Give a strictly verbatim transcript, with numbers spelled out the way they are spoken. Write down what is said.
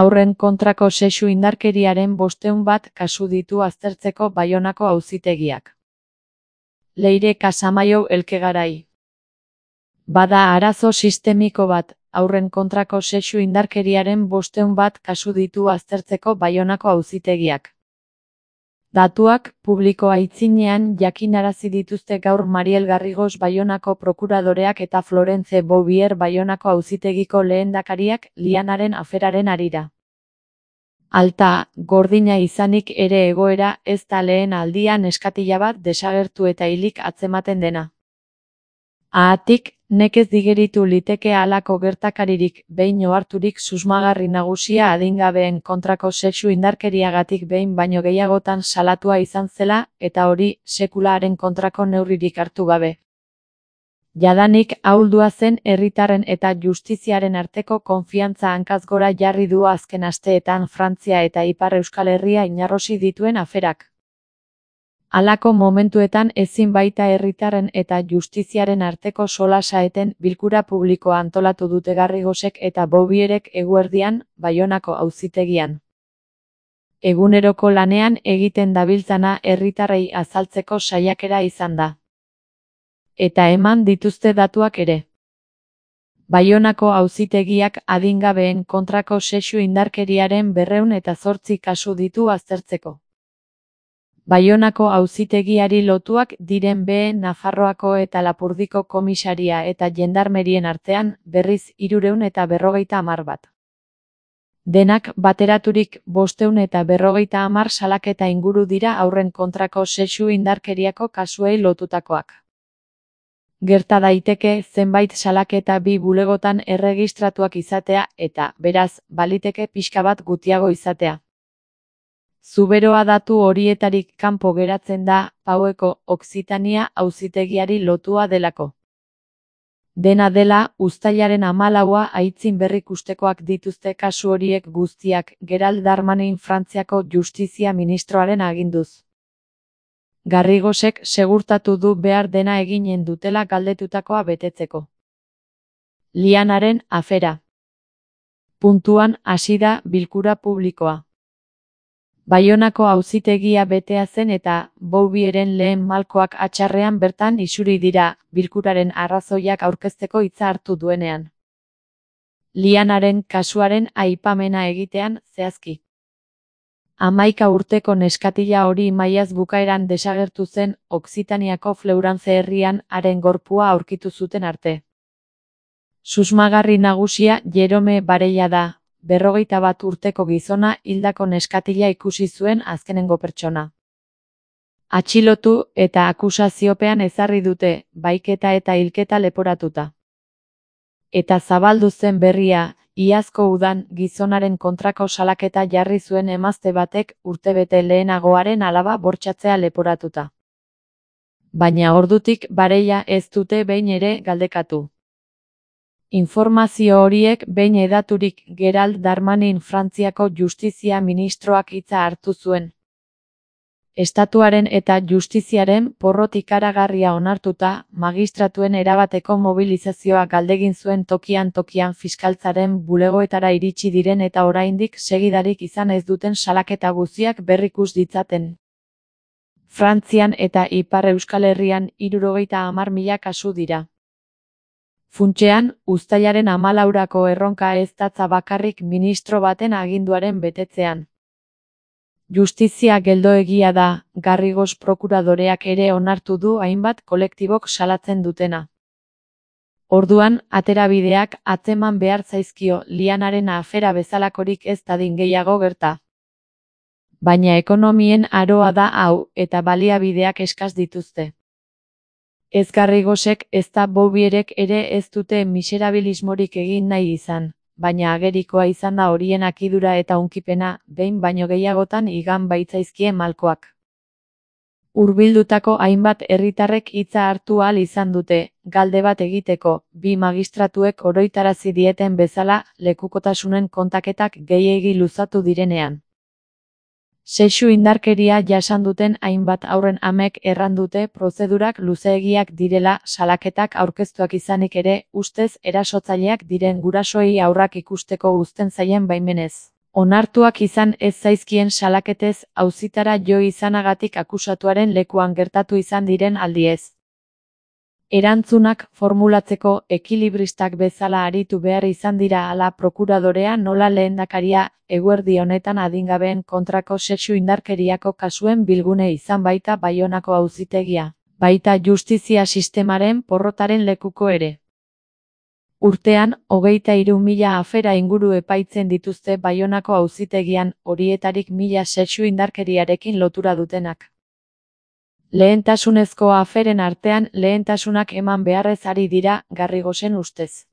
Haurren kontrako sexu indarkeriaren bostehun bat kasu ditu aztertzeko Baionako auzitegiak. Leire Casamaiu Elkegarai. Bada arazo sistemiko bat, haurren kontrako sexu indarkeriaren bostehun bat kasu ditu aztertzeko Baionako auzitegiak. Datuak publiko aitzinean jakinarazi dituzte gaur Mariel Garrigos Baionako prokuradoreak eta Florence Bouvier Baionako auzitegiko lehendakariak Lianaren aferaren harira. Alta, gordina izanik ere egoera ez da lehen aldian neskatila bat desagertu eta hilik atzematen dena. Haatik, nekez digeritu liteke halako gertakaririk behin oharturik susmagarri nagusia adingabeen kontrako sexu indarkeriagatik behin baino gehiagotan salatua izan zela eta hori sekulaaren kontrako neurririk hartu gabe. Jadanik ahuldua zen herritarren eta justiziaren arteko konfiantza hankaz gora jarri du azken asteetan Frantzia eta Ipar Euskal Herria inarrosi dituen aferak. Halako momentuetan ezin baita herritarren eta justiziaren arteko solasa eten bilkura publikoa antolatu dute Garrigosek eta Bouvierek eguerdian Baionako auzitegian. Eguneroko lanean egiten dabiltzana herritarrei azaltzeko saiakera izan da. Eta eman dituzte datuak ere. Baionako auzitegiak adingabeen kontrako sexu indarkeriaren berrehun eta zortzi kasu ditu aztertzeko. Baionako auzitegiari lotuak diren B Nafarroako eta Lapurdiko komisaria eta jendarmerien artean berriz hirurehun eta berrogeita hamar bat. Denak bateraturik bostehun eta berrogeita hamar salaketa inguru dira haurren kontrako sexu indarkeriako kasuei lotutakoak. Gerta daiteke zenbait salaketa bi bulegotan erregistratuak izatea eta, beraz, baliteke pixka bat gutiago izatea. Zuberoa datu horietarik kanpo geratzen da Paueko Okzitania auzitegiari lotua delako. Dena dela, uztailaren hamalaua aitzin berrikustekoak dituzte kasu horiek guztiak Gerald Darmanin Frantziako justizia ministroaren aginduz. Garrigosek segurtatu du behar dena eginen dutela galdetutakoa betetzeko. Lianaren afera. Puntuan hasi da bilkura publikoa. Baionako auzitegia betea zen eta Bouvieren lehen malkoak atxarrean bertan isuri dira bilkuraren arrazoiak aurkezteko hitza hartu duenean. Lianaren kasuaren aipamena egitean zehazki. Hamaika urteko neskatila hori maiaz bukaeran desagertu zen Okzitaniako Fleurance herrian haren gorpua aurkitu zuten arte. Susmagarri nagusia Jerome Barella da, berrogeita bat urteko gizona hildako neskatila ikusi zuen azkenengo pertsona. Atxilotu eta akusaziopean ezarri dute, baiketa eta hilketa leporatuta. Eta zabaldu zen berria, iazko udan gizonaren kontrako salaketa jarri zuen emazte batek urtebete lehenagoaren alaba bortxatzea leporatuta. Baina ordutik Barella ez dute behin ere galdekatu. Informazio horiek behin hedaturik Gerald Darmanin Frantziako justizia ministroak hitza hartu zuen. Estatuaren eta justiziaren porrot ikaragarria onartuta, magistratuen erabateko mobilizazioa galdegin zuen tokian tokian fiskaltzaren bulegoetara iritsi diren eta oraindik segidarik izan ez duten salaketa guztiak berrikus ditzaten. Frantzian eta Ipar Euskal Herrian hirurogeita hamar mila kasu dira. Funtsean, uztailaren hamalaurako erronka ez datza bakarrik ministro baten aginduaren betetzean. Justizia geldoegia da, Garrigos prokuradoreak ere onartu du hainbat kolektibok salatzen dutena. Orduan, aterabideak atzeman behar zaizkio Lianaren afera bezalakorik ez dadin gehiago gerta. Baina ekonomien aroa da hau eta baliabideak eskas dituzte. Ez Garrigosek ez da Bouvierek ere ez dute miserabilismorik egin nahi izan, baina agerikoa izan da horien akidura eta hunkipena, behin baino gehiagotan igan baitzaizkie malkoak. Hurbildutako hainbat herritarrek hitza hartu ahal izan dute, galde bat egiteko, bi magistratuek oroitarazi dieten bezala lekukotasunen kontaketak gehiegi luzatu direnean. Sexu indarkeria jasan duten hainbat haurren amek erran dute prozedurak luzeegiak direla salaketak aurkeztuak izanik ere, ustez erasotzaileak diren gurasoei haurrak ikusteko uzten zaien baimenez. Onartuak izan ez zaizkien salaketez auzitara jo izanagatik akusatuaren lekuan gertatu izan diren aldiez. Erantzunak formulatzeko ekilibristak bezala aritu behar izan dira ala prokuradorea nola lehendakaria, eguerdi honetan adingabeen kontrako sexu indarkeriako kasuen bilgune izan baita Baionako auzitegia, baita justizia sistemaren porrotaren lekuko ere. Urtean, hogeita hiru mila afera inguru epaitzen dituzte Baionako auzitegian, horietarik mila sexu indarkeriarekin lotura dutenak. Lehentasunezko aferen artean lehentasunak eman beharrez ari dira, Garrigosen ustez.